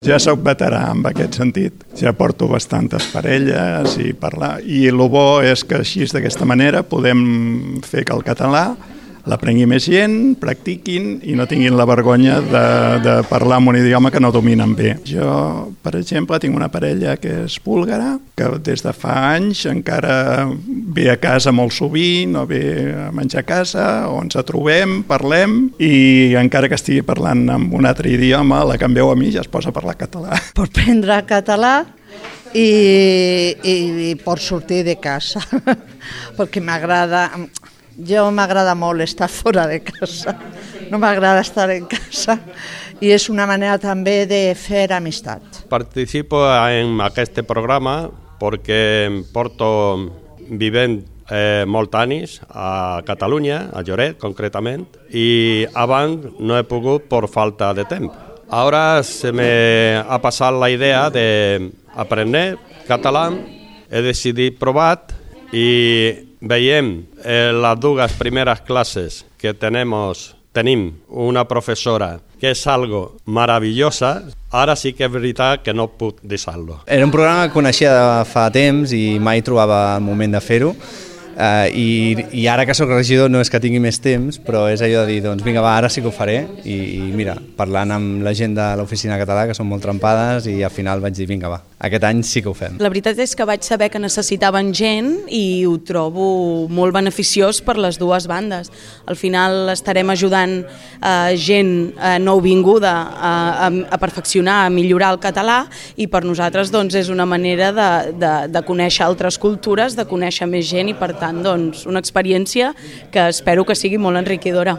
Ja sóc veterà en aquest sentit. Ja porto bastantes parelles i parlar. I el bo és que així, d'aquesta manera, podem fer que el català l'aprengui més gent, practiquin i no tinguin la vergonya de parlar en un idioma que no dominen bé. Jo, per exemple, tinc una parella que és búlgara, que des de fa anys encara ve a casa molt sovint, o ve a menjar a casa, o ens trobem, parlem, i encara que estigui parlant en un altre idioma, la que em veu a mi ja es posa a parlar català. Per aprendre català i per sortir de casa, perquè m'agrada molt estar fora de casa, no m'agrada estar en casa i és una manera també de fer amistat. Participo en aquest programa perquè porto vivint molts anys a Catalunya, a Lloret concretament, i abans no he pogut per falta de temps. Ara se me ha passat la idea d'aprendre català, he decidit provar i veiem les dues primeres classes que tenim una professora que és algo meravellosa. Ara sí que és veritat que no puc deixar-lo. Era un programa que coneixia de fa temps i mai trobava el moment de fer-ho. I ara que sóc regidor no és que tingui més temps, però és allò de dir, doncs vinga va, ara sí que ho faré, i mira, parlant amb la gent de l'oficina català, que són molt trempades, i al final vaig dir, vinga va, aquest any sí que ho fem. La veritat és que vaig saber que necessitaven gent i ho trobo molt beneficiós per les dues bandes. Al final estarem ajudant gent nouvinguda a perfeccionar, a millorar el català, i per nosaltres doncs, és una manera de conèixer altres cultures, de conèixer més gent i per tant doncs, una experiència que espero que sigui molt enriquidora.